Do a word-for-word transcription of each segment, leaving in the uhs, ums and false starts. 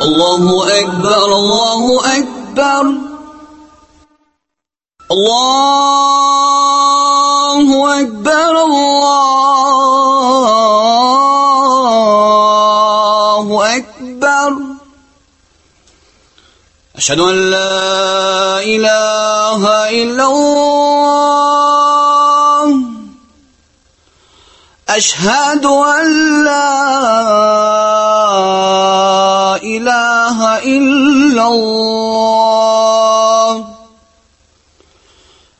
Allahu Ekber, Allahu Ekber. Allahu Ekber, Allahu Ekber. Eşhedü en la ilahe illallah. Eşhedü en la ilahe illallah.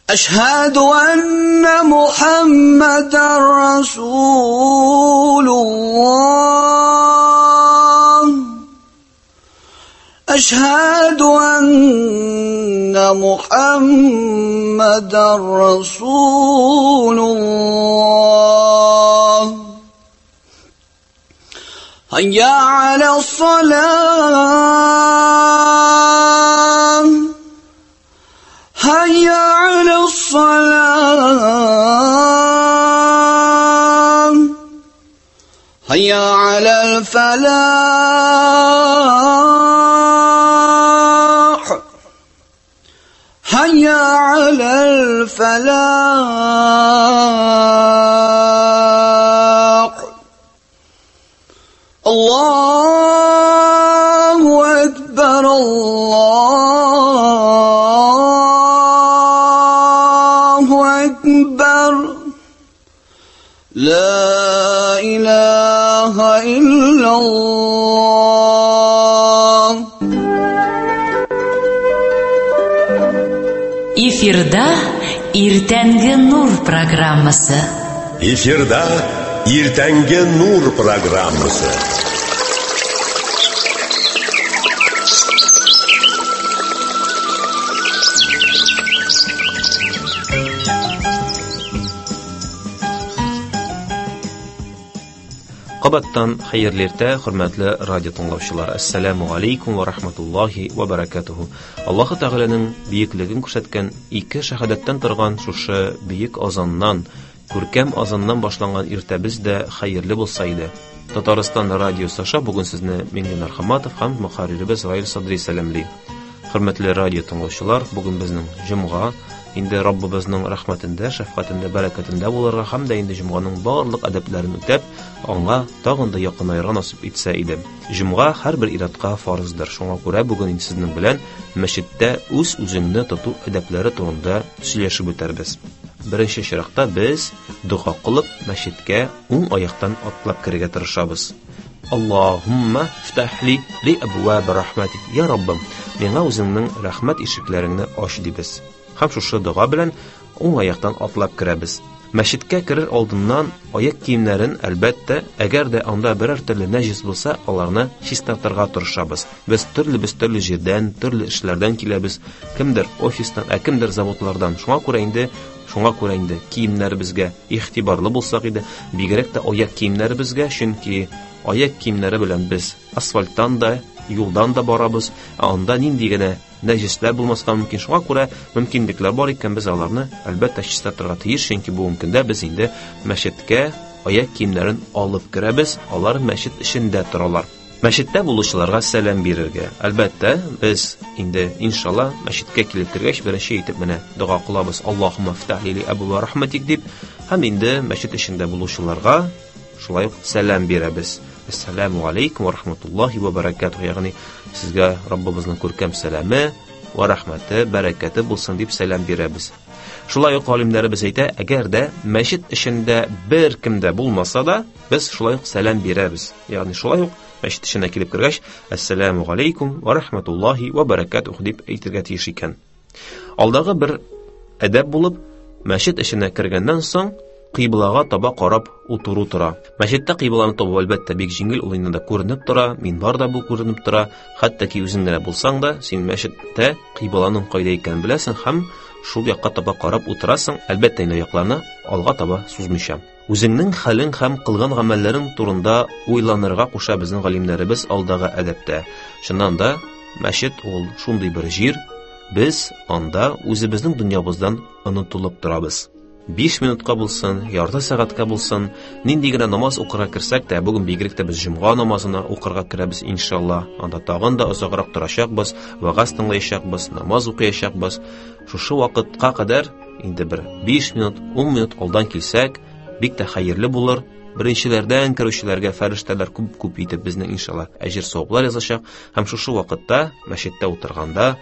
Eşhedü enne Muhammeden Resulullah. Eşhedü enne Muhammeden Resulullah. Hayya alas-salah. Hayya alas-salah. Hayya alal-falah. Hayya alal-falah. Allahu Ekber, Allahu Ekber. La ilahe illallah. Эфирда Иртәнге Нур программасы. Эфирда Иртәнге Нур программасы. Кабаттан хәерле иртә, хөрмәтле радио тыңлаучылар. Ассаламу алейкум ва рахматуллахи ва баракатуху. Аллаһ Тәгаләнең бөеклеген күрсәткән ике шәһадәттән торган шушы бөек азаннан, күркәм азаннан башланган иртәбез дә хәерле булса иде. Татарстан радиосы аша бүген сезне Миңлинар Хаматов һәм мөхәрриребез Раил Садри сәламли. Хөрмәтле радио тыңлаучылар, бүген безнең җомга, инде Раббыбызның рәхмәтендә, шәфкатендә, бәрәкәтендә булырга һәм дә инде җомганың барлык әдәпләрен үтәп, аңа тагын да якынаерга насыйп итсә иде. Җомга һәрбер иратка фарыздыр. Шуңа күрә бүген инде сезнең белән мәчеттә үз-үзеңне тоту әдәпләре турында сөйләшеп үтәрбез. Беренче чиратта без дога кылып мәчеткә уң аяктан атлап керергә тырышабыз. Аллаһумма фтахли ли абваб рахматик. Я Раббым, миңа үзеңнең рәхмәт ишекләреңне ач дибез. Һәм шушы дога белән уң аяктан атлап керәбез. Мәчеткә керер алдыннан аяк киемнәрен, әлбәттә, әгәр дә анда берәр төрле нәҗис булса, аларны чистартырга тырышабыз. Без төрле без төрле җирдән, төрле эшләрдән киләбез. Кемдер офистан, ә кемдер заводлардан. Шуңа күрә инде, шуңа күрә инде киемнәребезгә игътибарлы булсак иде, бигрәк тә аяк киемнәребезгә, чөнки аяк киемнәре белән без асфальттан да, юлдан да барабыз, ә анда нинди генә нәҗисләр булмаска мөмкин. Шуңа күрә мөмкинлекләр бар икән, без аларны әлбәттә чистартырга тиеш, чөнки бүгенге көндә без инде мәчеткә аяк киемнәрен алып керәбез, алар мәчет эчендә торалар. Мәчеттә булучыларга сәлам бирергә. Әлбәттә, без инде иншалла мәчеткә килеп кергәч беренче итеп менә дога кылабыз. Аллаһумма фтахли ли абва рахматик дип, һәм инде мәчет эчендә булучыларга шулай ук сәлам бирәбез. Ассаламу алейкум ва рахматуллахи ва баракатух. Ягъни сезгә Раббыбызның күркәм сәламе ва рахматы, бәрәкәте булсын дип сәлам бирәбез. Шулай ук галимнәребез әйтә, әгәр дә мәчет эчендә бер кем дә булмаса да, без шулай ук сәлам бирәбез. Ягъни шулай ук мәчет эченә килеп кергәч, ассаламу алейкум ва рахматуллахи ва баракатух дип әйтергә тиеш икән. Алдагы бер әдәп булып, мәчет эченә кергәннән соң кыйблага таба карап утыру тора. Мәчеттә кыйбланы табу әлбәттә бик җиңел, ул инде күренеп тора, минбар да бу күренеп тора. Хәтта ки үзең генә булсаң да, син мәчеттә кыйбланың кайда икәнен беләсең һәм шул якка таба карап утырасың, әлбәттә инде аякларны алга таба сузмыйча. Үзеңнең хәлең һәм кылган гамәлләрең турында уйланырга куша безнең галимнәребез алдагы әдәптә. Чыннан да, мәчет ул шундый бер җир, без анда үзебезнең дөньябыздан онытылып торабыз. биш минутка булсын, ярты сәгатькә булсын, нинди генә намаз укырга керсәк тә, бүген бигрәк тә без җомга намазына укырга керәбез иншалла. Анда тагын да озаграк торачакбыз, вәгазь тыңлаячакбыз, намаз укыячакбыз. Шушы вакытка кадәр инде бер биш минут, ун минут алдан килсәк, бик тә хәерле булыр. Беренчеләрдән керүчеләргә фәрештәләр күп-күп итеп безнең иншалла әҗер саваплар язачак. Һәм шушы вакытта мәчеттә утырганда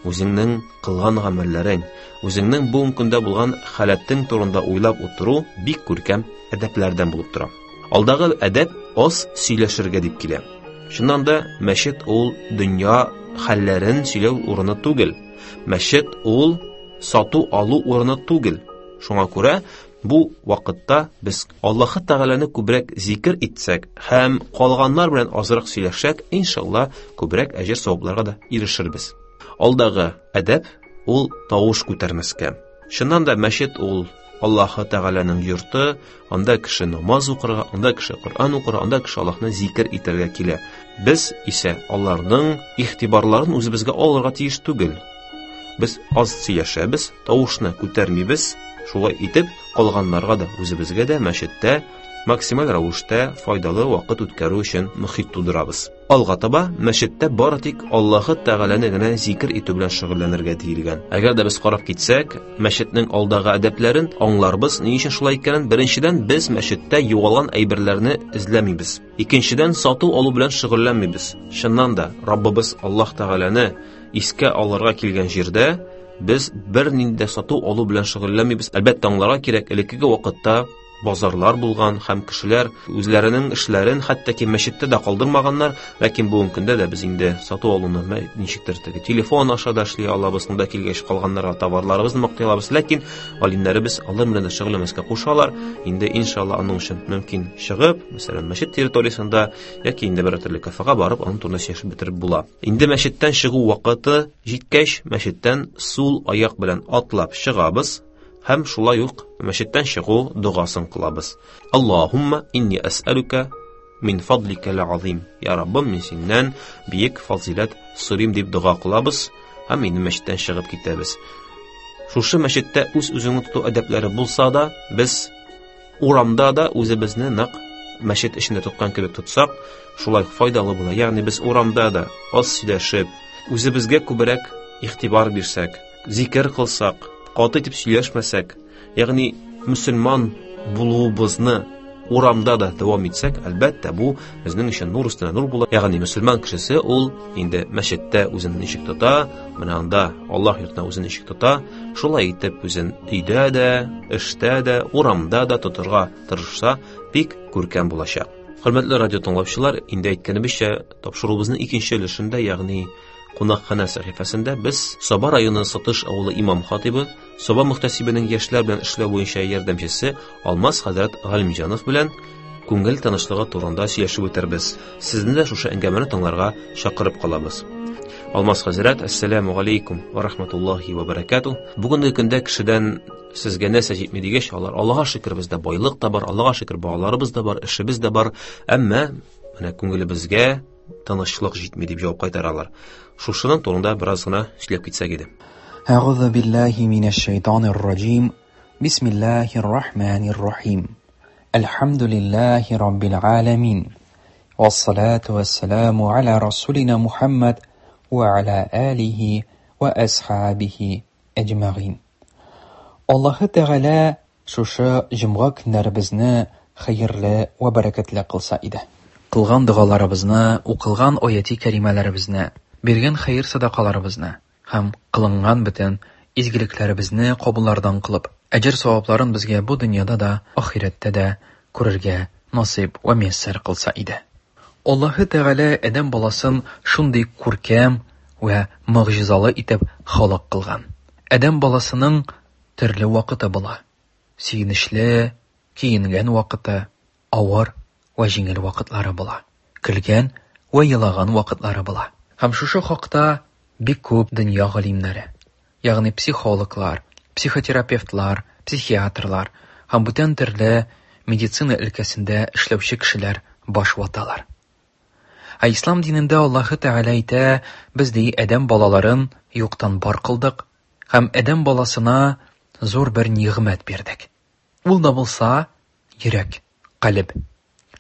үзеңнең кылган гамәлләрең, үзеңнең бүгенге көндә булган халәтең турында уйлап утыру бик күркәм әдәпләрдән булып тора. Алдагы әдәп аз сөйләшергә дип килә. Чыннан да мәчет ул дөнья хәлләрен сөйләү урыны түгел. Мәчет ул сату алу урыны түгел. Шуңа күрә бу вакытта без Аллаһы Тәгаләне күбрәк зикер итсәк һәм калганнар белән азрак сөйләшсәк, иншалла күбрәк әҗер савапларга да ирешербез. Алдагы әдәп ул тавыш күтәрмәскә. Чыннан да мәчет ул Аллаһы Тәгаләнең йорты, анда кеше намаз укырга, анда кеше Коръән укырга, анда кеше Аллаһны зикер итәргә килә. Без исә аларның игътибарларын үзебезгә алырга тиеш түгел. Без аз сөйләшәбез, тавышны күтәрмибез. Шулай итеп, калганнарга да, үзебезгә дә мәчеттә максималь рәвештә файдалы вакыт үткәрү өчен мөхит тудырабыз. Алга таба мәчеттә бары тик Аллаһы Тәгаләне генә зикер итү белән шөгыльләнергә диелгән. Әгәр дә без карап китсәк, мәчетнең алдагы әдәпләрен аңларбыз, ни өчен шулай икәнен. Беренчедән, без мәчеттә югалган әйберләрне эзләмибез. Икенчедән, сату алу белән шөгыльләнмибез. Чыннан да, Раббыбыз Аллаһ Тәгаләне искә алырга килгән җирдә без бернинди дә сату алу белән шөгыльләнмибез. Әлбәттә, аңларга кирәк, элеккеге вакытта базарлар булган һәм кешеләр үзләренең эшләрен хәтта ки мәчеттә дә калдырмаганнар, ләкин бүгенге көндә дә без инде сату алуны ничектер теге телефон аша да эшли алабыз, монда килгәч калганнарга товарларыбызны мактый алабыз, ләкин галимнәребез алар белән дә шөгыльләнмәскә кушалар. Инде иншалла аның өчен мөмкин чыгып, мәсәлән, мәчет территориясендә яки инде бер төрле кафега барып, аның турында сөйләшеп бетереп була. Инде мәчеттән чыгу вакыты җиткәч, мәчеттән сул аяк белән атлап чыгабыз. Һәм шулай ук мәчеттән чыгу догасын кылабыз. Аллаһумма инни әсәлүкә мин фадлика л-азим. Я Раббым, мин синнән бөек фазиләт сорыйм дип дога кылабыз һәм инде мәчеттән чыгып китәбез. Шушы мәчеттә үз-үзеңне тоту әдәпләре булса да, без урамда да үзебезне нык мәчет эчендә тоткан кебек тотсак, шулай файдалы була. Ягъни без урамда да аз сөйләшеп, үзебезгә күбрәк игътибар бирсәк, зикер кылсак, каты итеп сөйләшмәсәк, ягъни мөселман булуыбызны урамда да дәвам итсәк, әлбәттә, бу безнең өчен нур өстенә нур була. Ягъни мөселман кешесе ул инде мәчеттә үзен ничек тота, менә анда Аллаһ йортында үзен ничек тота, шулай итеп үзен өйдә дә, эштә дә, урамда да тотырга тырышса, бик күркәм булачак. Хөрмәтле радио тыңлаучылар, инде әйткәнебезчә, тапшыруыбызның икенче өлешендә, ягъни кунакханә сәхифәсендә без Саба районы Сатыш авылы имам хатибы, Саба мөхтәсибенең яшьләр белән эшләү буенча ярдәмчесе Алмаз хәзрәт Галимҗанов белән күңел тынычлыгы турында сөйләшеп үтербез. Сезне дә шушы әңгәмәне тыңларга чакырып калабыз. Алмаз хәзрәт, әссәламү галәйкүм ва рахматуллаһи ва баракатуһ. Бүгенге көндә кешедән сезгә нәрсә җитми дигәч, алар Аллаһка шөкер, бездә байлык та бар, Аллаһка шөкер, балаларыбыз да бар, эшебез дә бар, әмма менә күңелебезгә тынычлык җитми дип җавап кайтаралар. Шушының турында бераз гына сөйләп китсәк иде. Әгъузу биллаһи минәш шайтанир раҗим. Бисмиллаһир рахманир рахим. Әлхәмдүлиллаһи раббил аламин. Вассалату вассаламу аля расулина Мухаммад ва аля алихи ва асхабихи әҗмәгыйн. Аллаһы Тәгалә шушы җомга көннәребезне хәерле ва бәрәкәтле кылса иде. Кылган догаларыбызны, укылган аяти кәримәләребезне, биргән хәер садакаларыбызны һәм кылынган бөтен изгелекләребезне кабуллардан кылып, әҗер савапларын безгә бу дөньяда да, ахирәттә дә күрергә насыйп ва мияссәр кылса иде. Аллаһы Тәгалә адәм баласын шундый күркәм ва могҗизалы итеп халык кылган. Адәм баласының төрле вакыты була. Сөенечле, киенгән вакыты, авыр ва җиңел вакытлары була. Көлгән ва елаган вакытлары була. Һәм шушы хакта бик күп дөнья галимнәре, ягъни психологлар, психотерапевтлар, психиатрлар һәм бүтән төрле медицина өлкәсендә эшләүче кешеләр баш ваталар. Ә ислам динендә Аллаһы Тәгалә әйтә, без ди адәм балаларын юктан бар кылдык һәм адәм баласына зур бер нигъмәт бирдек. Ул да булса йөрәк, калеб.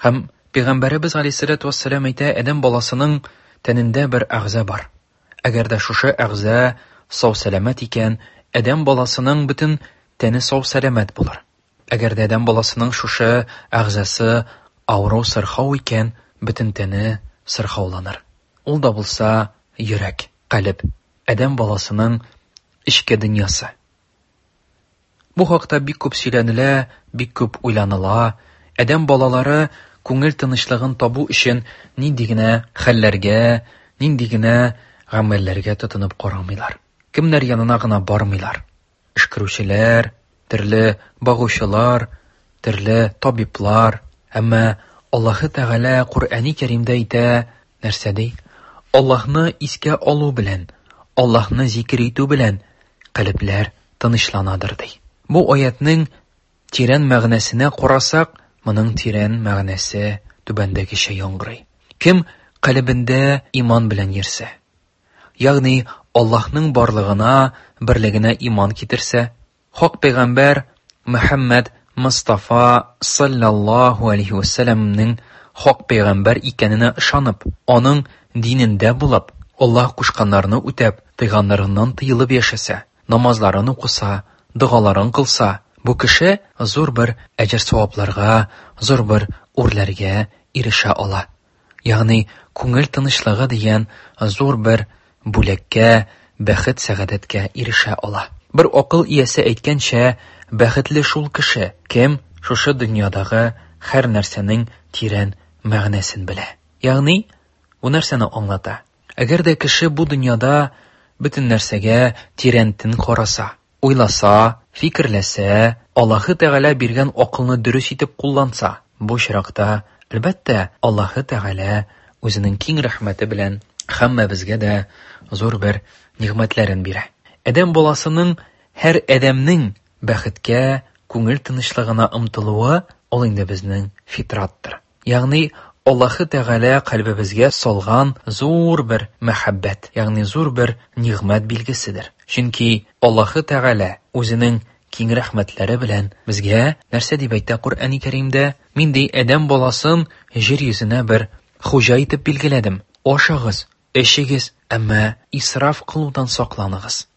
Һәм Пәйгамбәребез алейһиссалату вассалам әйтә, адәм баласының тәнендә бер әгъза бар. Әгәр дә шушы әгъза сау-сәламәт икән, адәм баласының бөтен тәне сау-сәламәт булыр. Әгәр дә адәм баласының шушы әгъзасы авыру, сырхау икән, бөтен тәне сырхауланыр. Ул да булса йөрәк, калеб, адәм баласының эчке дөньясы. Бу хакта бик күп сөйләнелә, бик күп уйланыла. Адәм балалары күңел тынычлыгын табу өчен нинди генә хәлләргә, нинди генә гамәлләргә тотынып карамыйлар. Кемнәр янына гына бармыйлар. Өшкерүчеләр, төрле багучылар, төрле табиблар. Әмма Аллаһы Тәгалә Куръани Кәримдә әйтә, нәрсә ди? Аллаһны искә алу белән, Аллаһны зикр итү белән калебләр тынычланадыр ди. Бу аятның тирән мәгънәсенә карасак, моның тирән мәгънәсе түбәндәгечә яңгырый. Кем калебендә иман белән йөрсә, ягъни Аллаһның барлыгына, берлегенә иман китерсә, хак пәйгамбәр Мөхәммәд Мустафа саллаллаһу алейхи ва сәлламнең хак пәйгамбәр икәненә ышанып, аның динендә булып, Аллаһ кушканнарны үтәп, тыйганнарыннан тыелып яшәсә, намазларын укыса, догаларын кылса, бу кеше зур бер әҗер-савапларга, зур бер үрләргә ирешә ала. Ягъни күңел тынычлыгы дигән зур бер бүләккә, бәхет-сәгадәткә ирешә ала. Бер акыл иясе әйткәнчә, бәхетле шул кеше, кем шушы дөньядагы һәр нәрсәнең тирән мәгънәсен белә. Ягъни бу нәрсәне аңлата? Әгәр дә кеше бу дөньяда бөтен нәрсәгә тирәнтен караса, уйласа, фикерләсә, Аллаһы Тәгалә биргән акылны дөрес итеп кулланса, бу очракта, әлбәттә, Аллаһы Тәгалә үзенең киң рәхмәте белән һәммәбезгә дә зур бер нигъмәтләрен бирә. Адәм баласының, һәр адәмнең бәхеткә, күңел тынычлыгына омтылуы ул инде безнең фитраттыр. Ягъни Аллаһы Тәгалә кальбебезгә салган зур бер мәхәббәт, ягъни зур бер нигъмәт билгеседер. Чөнки Аллаһы Тәгалә үзенең киң рәхмәтләре белән безгә нәрсә дип әйтә Коръәни Кәримдә? Мин ди адәм баласын җир йөзенә бер хуҗа итеп билгеләдем. Ашагыз, эчегез, әмма исраф кылудан сакланыгыз.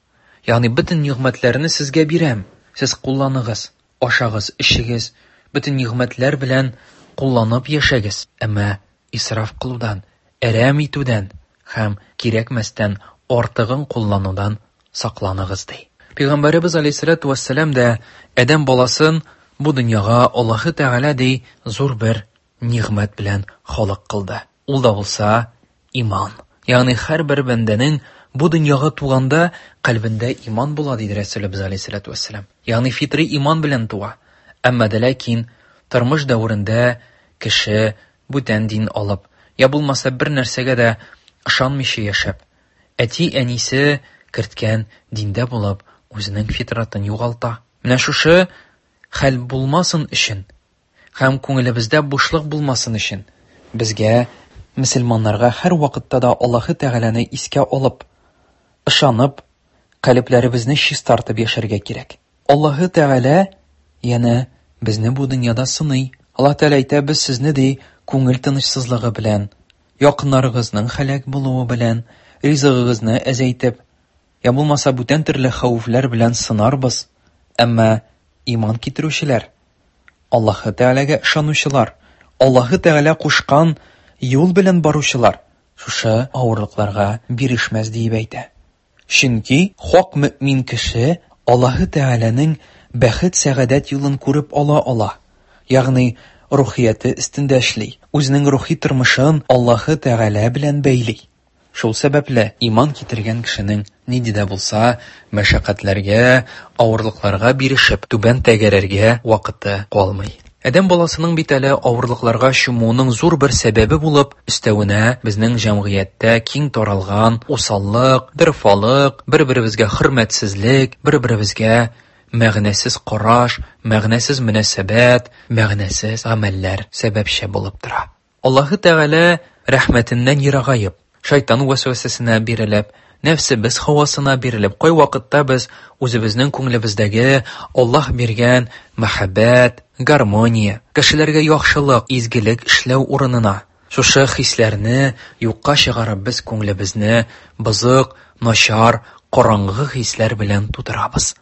Ягъни бөтен нигъмәтләрне сезгә бирәм, сез кулланыгыз, ашагыз, эчегез, бөтен нигъмәтләр белән кулланып яшәгез, әмма исраф кылудан, әрәм итүдән һәм кирәкмәстән артыгын кулланудан сакланыгыз ди. Пәйгамбәребез алейһиссалату вассалам да адәм баласын бу дөньяга Аллаһы Тәгалә ди зур бер нигъмәт белән халык кылды. Ул да булса иман. Ягъни һәр бер бәндәнең бу дөньяга туганда кальбендә иман була диде Рәсүлебез алейһиссалату вассалам. Ягъни фитри иман белән туа. Әмма дә ләкин тормыш дәверендә кеше бүтән дин алып, я булмаса бер нәрсәгә дә ышанмыйча яшәп, әти-әнисе керткән диндә булып, үзенең фитратын югалта. Менә шушы хәл булмасын өчен һәм күңелебездә бушлык булмасын өчен безгә, мөселманнарга һәр вакытта да Аллаһы Тәгаләне искә алып, ышанып, калебләребезне чистартып яшәргә кирәк. Аллаһы Тәгалә янә безне бу дөньяда сыный. Аллаһ Тәгалә әйтә, без сезне ди күңел тынычсызлыгы белән, якыннарыгызның һәлак булуы белән, ризыгыгызны әзәйтеп, я булмаса бүтән төрле хәвефләр белән сынарбыз. Әмма иман китерүчеләр, Аллаһы Тәгаләгә ышанучылар, Аллаһы Тәгалә кушкан юл белән баручылар шушы авырлыкларга бирешмәс диеп әйтә. Чөнки хак мөмин кеше Аллаһы Тәгаләнең бәхет-сәгадәт юлын күреп ала ала. Ягъни рухияте өстендә эшли, үзенең рухи тормышын Аллаһы Тәгалә белән бәйли. Шул сәбәпле иман китергән кешенең нинди дә булса мәшәкатьләргә, авырлыкларга бирешеп, түбән тәгәрәргә вакыты калмый. Адәм баласының бит әле авырлыкларга чумуының зур бер сәбәбе булып, өстәвенә безнең җәмгыятьтә киң таралган усаллык, дырфалык, бер-беребезгә хөрмәтсезлек, бер-беребезгә мәгънәсез караш, мәгънәсез мөнәсәбәт, мәгънәсез гамәлләр сәбәпче булып тора. Аллаһы Тәгалә рәхмәтеннән ерагаеп, шайтан вәсвәсәсенә бирелеп, нәфсебез һавасына бирелеп, кайвакытта без үзебезнең күңелебездәге Аллаһ биргән мәхәббәт, гармония, кешеләргә яхшылык, изгелек эшләү урынына шушы хисләрне юкка чыгарып, без күңелебезне бозык, начар, караңгы хисләр белән тутырабыз.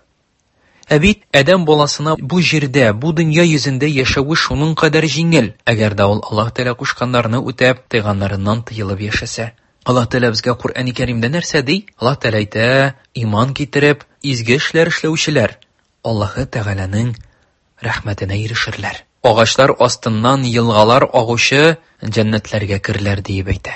Ә бит адәм баласына бу җирдә, бу дөнья йөзендә яшәве шуның кадәр җиңел, әгәр дә ул Аллаһ Тәгалә кушканнарны үтәп, тыйганнарыннан тыелып яшәсә. Аллаһ Тәгалә безгә Коръәни Кәримдә нәрсә ди? Аллаһ Тәгалә әйтә: иман китереп, изге эшләр эшләүчеләр Аллаһы Тәгаләнең рәхмәтенә ирешерләр. Агачлар астыннан елгалар агучы җәннәтләргә керерләр диеп әйтә.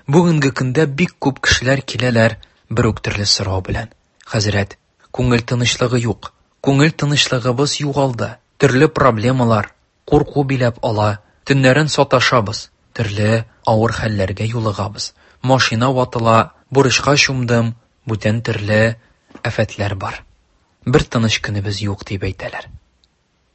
Бүгенге көндә бик күп кешеләр киләләр бер үк төрле сорау белән. Хәзрәт, күңел тынычлыгы юк. Күңел тынычлыгыбыз югалды. Төрле проблемалар, курку биләп ала. Төннәрен саташабыз. Төрле авыр хәлләргә юлыгабыз. Машина ватыла, бурычка чумдым, бүтән төрле афәтләр бар. Бер тыныч көнебез юк дип әйтәләр.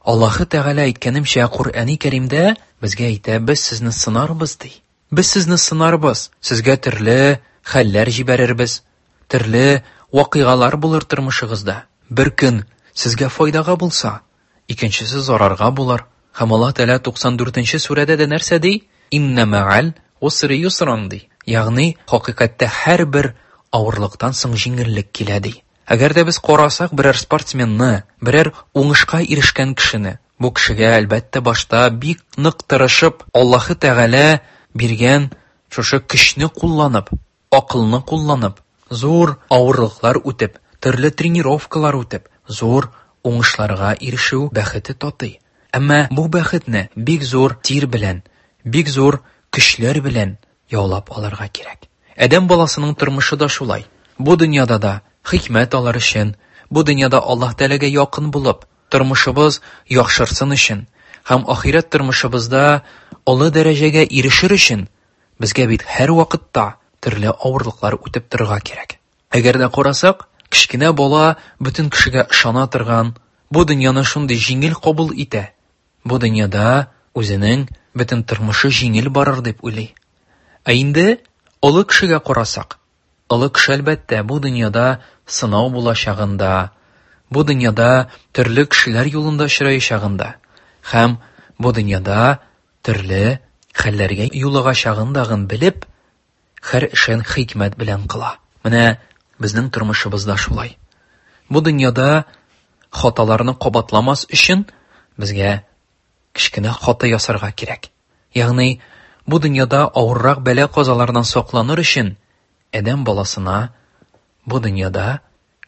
Аллаһы Тәгалә әйткәнемчә, Коръәни Кәримдә безгә әйтә, без сезне сынарбыз ди. Без сезне сынарбыз, сезгә төрле хәлләр җибәрербез, төрле вакыйгалар булыр тормышыгызда. Бер көн сезгә файдага булса, икенчесе зарарга булыр. Һәм Аллаһ Тәгалә туксан дүртенче сүрәдә дә нәрсә ди? Инна мәгәл усри юсран ди. Ягъни хакыйкатьтә һәрбер авырлыктан соң җиңеллек килә ди. Әгәр дә без карасак берәр спортсменны, берәр уңышка ирешкән кешене, бу кешегә әлбәттә башта бик нык тырышып, Аллаһы Тәгалә биргән шушы көчне кулланып, акылны кулланып, зур авырлыклар үтеп, төрле тренировкалар үтеп, зур уңышларга ирешү бәхете татый. Әмма бу бәхетне бик зур тир белән, бик зур көчләр белән яулап алырга кирәк. Адәм баласының тормышы да шулай. Бу дөньяда да хикмәт алыр өчен, бу дөньяда Аллаһ Тәгаләгә якын булып, тормышыбыз яхшырсын өчен һәм ахирәт тормышыбызда олы дәрәҗәгә ирешер өчен безгә бит һәр вакытта төрле авырлыклар үтеп торырга кирәк. Әгәр дә карасак, кечкенә бала бөтен кешегә ышана торган, бу дөньяны шундый җиңел кабул итә. Бу дөньяда үзенең бөтен тормышы җиңел барыр дип уйлый. Ә инде олы кешегә карасак, олы кеше әлбәттә бу дөньяда сынау булачагында, бу дөньяда төрле кешеләр юлында очраячагында һәм бу дөньяда төрле хәлләргә юлыгачагындагын белеп, һәр эшен хикмәт белән кыла. Менә безнең тормышыбызда шулай. Бу дөньяда хаталарны кабатламас өчен безгә кечкенә хата ясарга кирәк. Ягъни бу дөньяда авыррак бәла-казалардан сакланыр өчен адәм баласына бу дөньяда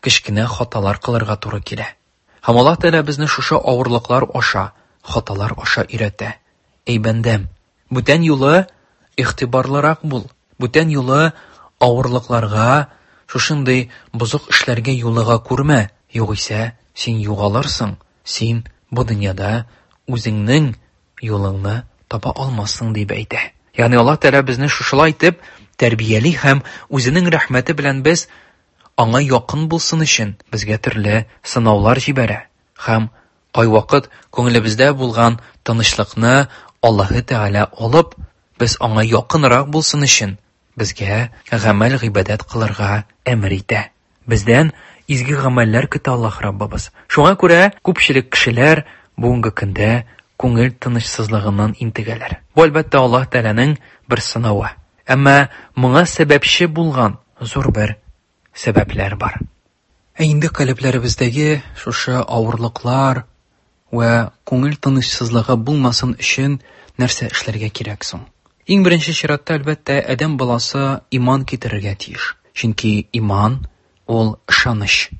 кечкенә хаталар кылырга туры килә. Һәм Аллаһ Тәгалә безне шушы авырлыклар аша, хаталар аша өйрәтә. Эй бәндәм, бүтән юлы игътибарлырак бул. Бүтән юлы авырлыкларга, шушындый бозык эшләргә юлыга күрмә. Югыйсә син югалырсың, син бу дөньяда үзеңнең юлыңны таба алмассың дип әйтә. Ягъни Аллаһ Тәгалә безне шушылай итеп тәрбияли һәм үзенең рәхмәте белән без аңа якын булсын өчен безгә төрле сынаулар җибәрә. Һәм кайвакыт күңелебездә булган тынычлыкны Аллаһы Тәгалә алып, без аңа якынрак булсын өчен безгә гамәл гыйбадәт кылырга әмер итә. Бездән изге гамәлләр көтә Аллаһ Раббыбыз. Шуңа күрә күпчелек кешеләр бүгенге көндә күңел тынычсызлыгыннан интегәләр. Бу әлбәттә Аллаһ Тәгаләнең бер сынавы. Әмма моңа сәбәпче булган зур бер сәбәпләр бар. Ә инде калебләребездәге шушы авырлыклар вә күңел тынычсызлыгы булмасын өчен нәрсә эшләргә кирәк соң? Иң беренче чиратта әлбәттә адәм баласы иман китерергә тиеш. Чөнки иман ул ышаныч.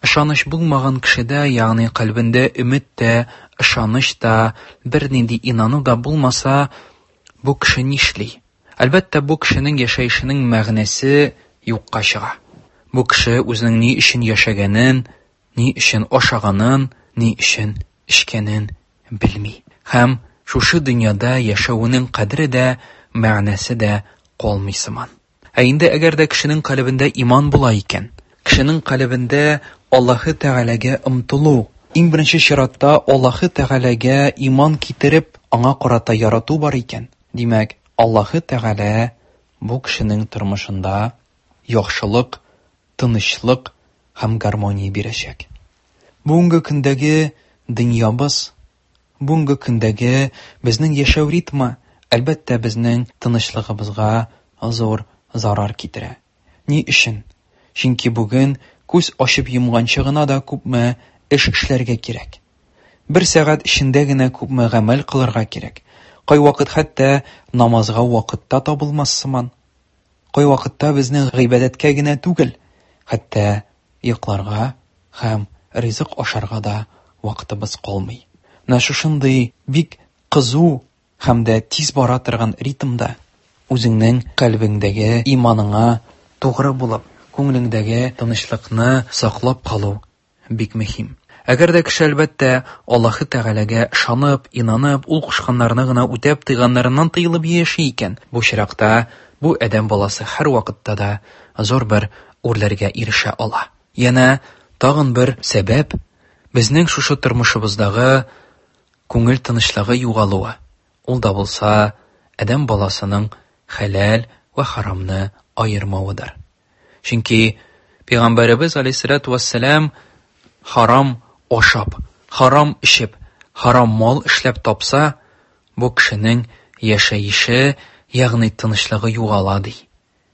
Ышаныч булмаган кешедә, ягъни кальбендә өмет тә, ышаныч та, бернинди инану да булмаса, бу кеше нишли? Әлбәттә, бу кешенең яшәешенең мәгънәсе юкка чыга. Бу кеше үзенең ни өчен яшәгәнен, ни өчен ашаганын, ни өчен эчкәнен белми. Һәм шушы дөньяда яшәүенең кадере дә, мәгънәсе дә калмый сыман. Ә инде әгәр дә кешенең калебендә иман була икән, кешенең калебендә Аллаһы Тәгаләгә омтылу, иң беренче чиратта Аллаһы Тәгаләгә иман китереп, аңа карата ярату бар икән, димәк, Аллаһы Тәгалә бу кешенең тормышында яхшылык, тынычлык һәм гармония бирәчәк. Бүгенге көндәге дөньябыз, бүгенге көндәге безнең яшәү ритмы, әлбәттә, безнең тынычлыгыбызга зур зарар китерә. Ни өчен? Чөнки бүген күз ачып йомганчы гына да күпме эш эшләргә кирәк. Бер сәгать эчендә генә күпме гамәл кылырга кирәк. Кайвакыт хәтта намазга вакыт та табылмас сыман. Кайвакытта безнең гыйбадәткә генә түгел, хәтта йокларга һәм ризык ашарга да вакытыбыз калмый. Менә шушындый бик кызу һәм дә тиз бара торган ритмда үзеңнең кальбеңдәге иманыңа тугры булып, күңелеңдәге тынычлыкны саклап калу бик мөһим. Әгәр дә кеше әлбәттә Аллаһы Тәгаләгә ышанып, инанып, ул кушканнарны гына үтәп, тыйганнарыннан тыелып яши икән, бу чиракта бу адәм баласы һәр вакытта да зур бер үрләргә ирешә ала. Янә тагын бер сәбәп безнең шушы тормышыбыздагы күңел тынычлыгы югалуы. Ул да булса адәм баласының хәләл вә харамны аермавыдыр. Чөнки Пәйгамбәребез алейһиссалату вассалам харам ашап, харам эчеп, харам мал эшләп тапса, бу кешенең яшәеше, ягъни тынычлыгы югала ди.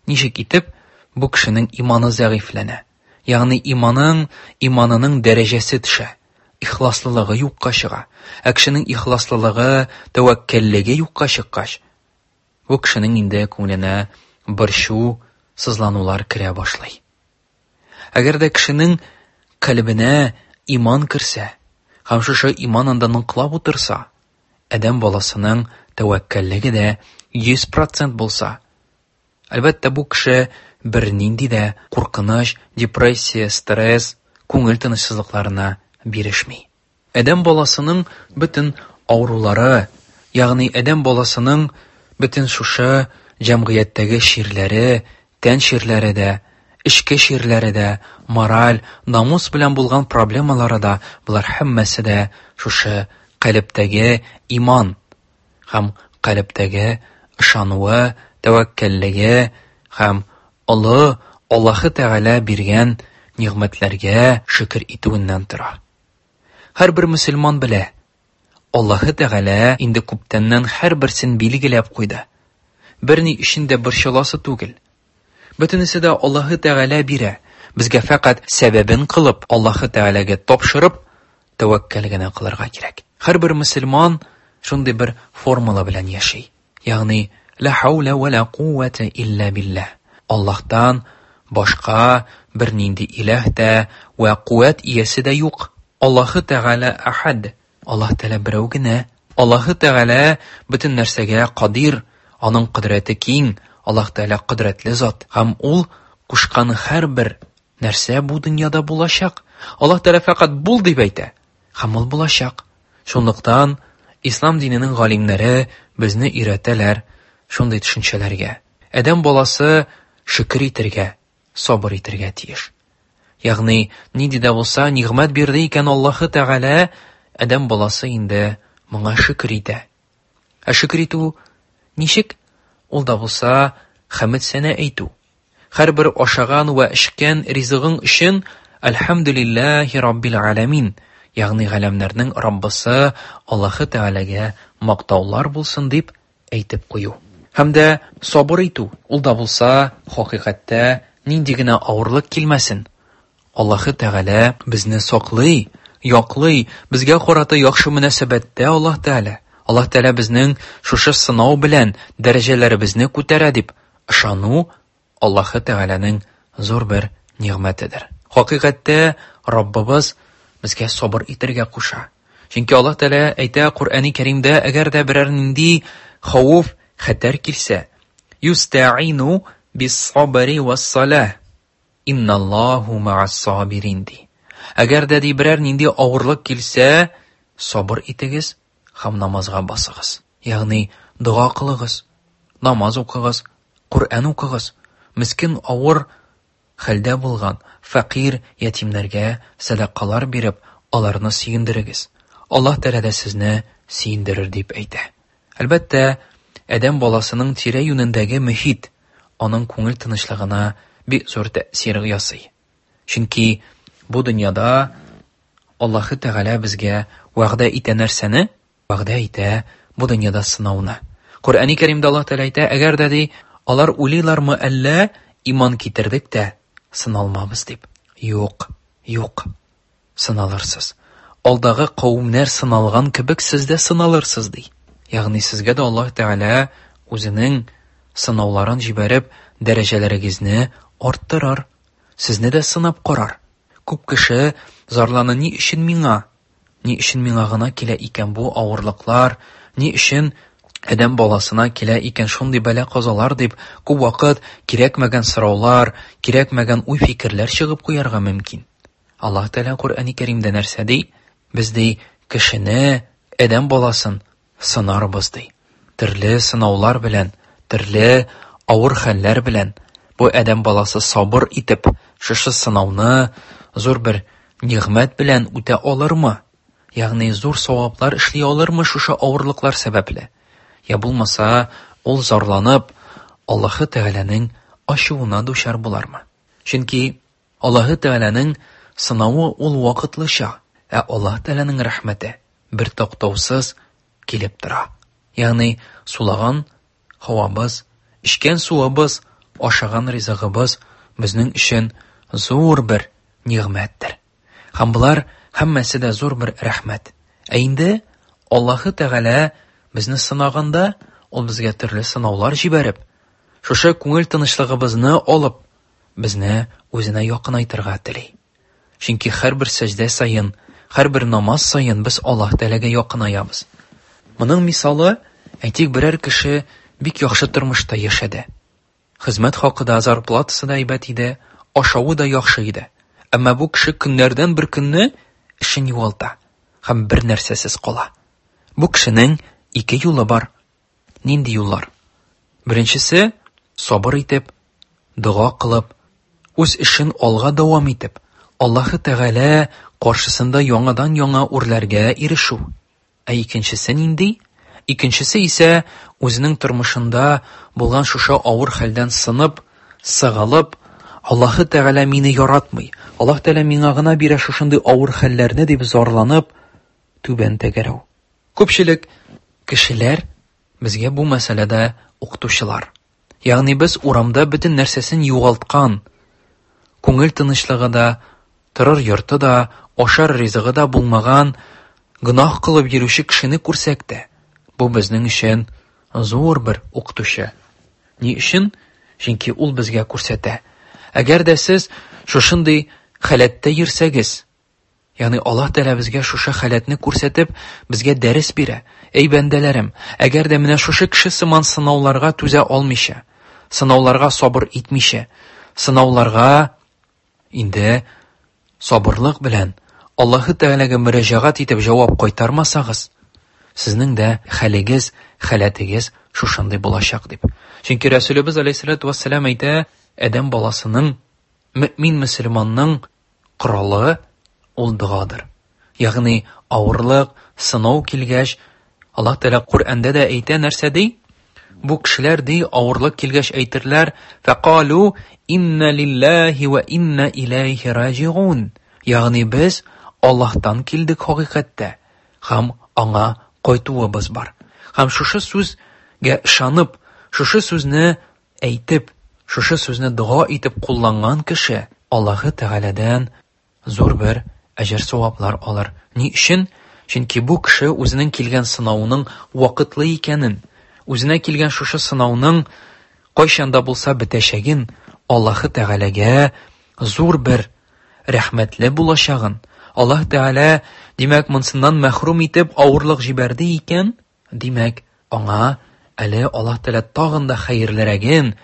Ничек итеп бу кешенең иманы зәгыйфьләнә? Ягъни иманың, иманының дәрәҗәсе төшә, ихласлылыгы юкка чыга. Ә кешенең ихласлылыгы, тәвәккәллеге юкка чыккач, бу кешенең инде күңеленә борчу, сызланулар керә башлый. Әгәр дә кешенең кальбенә иман керсә һәм шушы иман анда ныклап утырса, адәм баласының тәвәккәллеге дә йөз процент булса, әлбәттә, бу кеше бернинди дә куркыныч, депрессия, стресс, күңел тынычсызлыкларына бирешми. Адәм баласының бөтен авырулары, ягъни адәм баласының бөтен шушы җәмгыятьтәге чирләре, тән чирләре дә, эчке чирләре дә, мораль, намус белән булган проблемалары да, булар һәммәсе дә шушы калептәге иман һәм калептәге ышануы, тәвәккәллеге һәм олы Аллаһы Тәгалә биргән нигъмәтләргә шөкер итүеннән тора. Һәрбер мөселман белә, Аллаһы Тәгалә инде күптәннән һәрберсен билгеләп куйды. Берни өчен дә борчыласы түгел. Бөтенесе дә Аллаһы Тәгалә бирә. Безгә фәкать сәбәбен кылып, Аллаһы Тәгаләгә тапшырып, тәвәккәл генә кылырга кирәк. Һәрбер мөселман шундый бер формула белән яши. Ягъни ла хаула ва ла куввата илля биллаһ. Аллаһтан башка бернинди илаһ та вә куәт иясе дә юк. Аллаһы Тәгалә ахад. Аллаһ Тәгалә берәү генә. Аллаһы Тәгалә бөтен нәрсәгә кадир, аның кодрәте киң. Аллаһ Тәгалә кодрәтле зат һәм ул кушкан һәрбер нәрсә бу дөньяда булачак. Аллаһ Тәгалә фәкать бул дип әйтә һәм ул булачак. Шунлыктан ислам диненең галимнәре безне өйрәтәләр шундый төшенчәләргә. Адәм баласы шөкер итәргә, сабыр итәргә тиеш. Ягъни нинди дә булса нигъмәт бирде икән Аллаһы Тәгалә, адәм баласы инде моңа шөкер итә. Ә шөкер итү ничек? Ул да булса хәмд сәнә әйтү. Һәрбер ашаган вә эчкән ризыгың өчен әлхәмдүлилләһи раббил аламин, ягъни галәмнәрнең Раббысы Аллаһы Тәгаләгә мактаулар булсын дип әйтеп кую. Һәм дә сабыр итү, ул да булса хакыйкатьтә нинди генә авырлык килмәсен, Аллаһы Тәгалә безне саклый, яклый, безгә карата яхшы мөнәсәбәттә Аллаһ Тәгалә. Аллаһ Тәгалә безнең шушы сынау белән дәрәҗәләребезне күтәрә дип ышану Аллаһы Тәгаләнең зур бер нигъмәтедер. Хакыйкатьтә Раббыбыз безгә сабыр итәргә куша. Чөнки Аллаһ Тәгалә әйтә Коръәни Кәримдә, әгәр дә берәр нинди хәвеф, хәтәр килсә, юстаину бис-сабри вас-салах, инналлаһу ма'ас-сабирин ди. Әгәр дә ди берәр нинди авырлык килсә, сабыр итегез һәм намазга басыгыз. Ягъни дога кылыгыз, намаз укыгыз, Коръән укыгыз. Мискин авыр хәлдә булган фәкыйрь ятимнәргә сәдакалар биреп, аларны сөендерегез. Аллаһ Тәгалә дә сезне сөендерер дип әйтә. Әлбәттә, адәм баласының тирә-юнендәге мөхит, аның күңел тынычлыгына бик зур тәэсир ясый. Чөнки бу дөньяда Аллаһы Тәгалә безгә вәгъдә итә нәрсәне? Вәгъдә итә бу дөньяда сынауны. Коръәни Кәримдә Аллаһ Тәгалә әйтә, әгәр дә ди, алар уйлыйлармы әллә иман китердек тә сыналмабыз дип. Юк, юк. Сыналырсыз. Алдагы кавемнәр сыналган кебек сез дә сыналырсыз ди. Ягъни сезгә дә Аллаһ Тәгалә үзенең сынауларын җибәреп, дәрәҗәләрегезне арттырыр. Сезне дә сынап карар. Күп кеше зарлана, ни өчен миңа? Ни өчен миңа гына килә икән бу авырлыклар? Ни өчен адәм баласына килә икән шундый бәла-казалар дип, күп вакыт кирәкмәгән сораулар, кирәкмәгән уй-фикерләр чыгып куярга мөмкин. Аллаһ Тәгалә Коръәни Кәримдә нәрсә ди? Без ди кешене, адәм баласын сынарбыз ди. Төрле сынаулар белән, төрле авыр хәлләр белән бу адәм баласы сабыр итеп, шушы сынауны зур бер нигъмәт белән үтә алырмы? Ягъни зур саваплар эшли алырмы шушы авырлыклар сәбәпле? Я булмаса, ул зарланып, Аллаһы Тәгаләнең ачуына дучар булармы? Чөнки Аллаһы Тәгаләнең сынавы ул вакытлыча, ә Аллаһ Тәгаләнең рәхмәте бер туктаусыз килеп тора. Ягъни сулаган һавабыз, эчкән суыбыз, ашаган ризыгыбыз безнең өчен зур бер нигъмәттер. Һәм болар һәммәсе дә зур бер рәхмәт. Ә инде Аллаһы Тәгалә безне сынаганда, ул безгә төрле сынаулар җибәреп, шушы күңел тынычлыгыбызны алып, безне үзенә якынайтырга тели. Чөнки һәрбер сәҗдә саен, һәрбер намаз саен без Аллаһ Тәгаләгә якынаябыз. Моның мисалы, әйтик, берәр кеше бик яхшы тормышта яшәде. Хезмәт хакы да, зарплатасы да әйбәт иде, ашавы да яхшы иде. Әмма бу кеше көннәрдән бер көнне эшен югалта һәм бер нәрсәсез кала. Бу кешенең ике юлы бар. Нинди юллар? Беренчесе, сабыр итеп, дога кылып, үз эшен алга дәвам итеп, Аллаһы Тәгалә каршысында яңадан-яңа үрләргә ирешү. Ә икенчесе нинди? Икенчесе исә үзенең тормышында булган шушы авыр хәлдән сынып, сыгылып, Аллаһы Тәгалә мине яратмый, Аллаһ Тәгалә миңа гына бирә шушындый авыр хәлләрне дип зарланып, түбән тәгәрәү. Күпчелек кешеләр безгә бу мәсьәләдә укытучылар. Ягъни без урамда бөтен нәрсәсен югалткан, күңел тынычлыгы да, торыр йорты да, ашар ризыгы да булмаган, гөнаһ кылып йөрүче кешене күрсәк тә, бу безнең өчен зур бер укытучы. Ни өчен? Чөнки ул безгә күрсәтә. Әгәр дә сез шушындый халәттә йөрсәгез, ягъни Аллаһ Тәгалә безгә шушы халәтне күрсәтеп, безгә дәрес бирә. Эй бәндәләрем, әгәр дә менә шушы кеше сыман сынауларга түзә алмыйча, сынауларга сабыр итмичә, сынауларга инде сабырлык белән Аллаһы Тәгаләгә мөрәҗәгать итеп җавап кайтармасагыз, сезнең дә хәлегез, халәтегез шушындый булачак дип. Чөнки Рәсүлебез алейһиссалату вассалам әйтә, адәм баласының, мөмин мөселманның коралы ул догадыр. Ягъни авырлык, сынау килгәч, Аллаһ Тәгалә Коръәндә дә әйтә нәрсә ди? Бу кешеләр ди, авырлык килгәч әйтерләр, фәкалу инна лиллаһи ва инна илайһи раҗиун. Ягъни без Аллаһтан килдек хакыйкатьтә һәм аңа кайтуыбыз бар. Һәм шушы сүзгә ышанып, шушы сүзне әйтеп, шушы сүзне дога итеп кулланган кеше Аллаһы Тәгаләдән зур бер әҗер-саваплар алыр. Ни өчен? Чөнки бу кеше үзенең килгән сынауның вакытлы икәнен, үзенә килгән шушы сынауның кайчан да булса бетәчәген, Аллаһы Тәгаләгә зур бер рәхмәтле булачагын, Аллаһ Тәгалә, димәк, монсыннан мәхрүм итеп авырлык җибәрде икән, димәк, аңа әле Аллаһ Тәгалә тагын да хәерлерәген,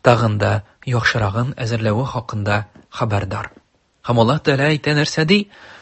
тагын да яхшырагын әзерләве хакында хәбәрдар. Һәм Аллаһ Тәгалә әйтә нәрсә ди?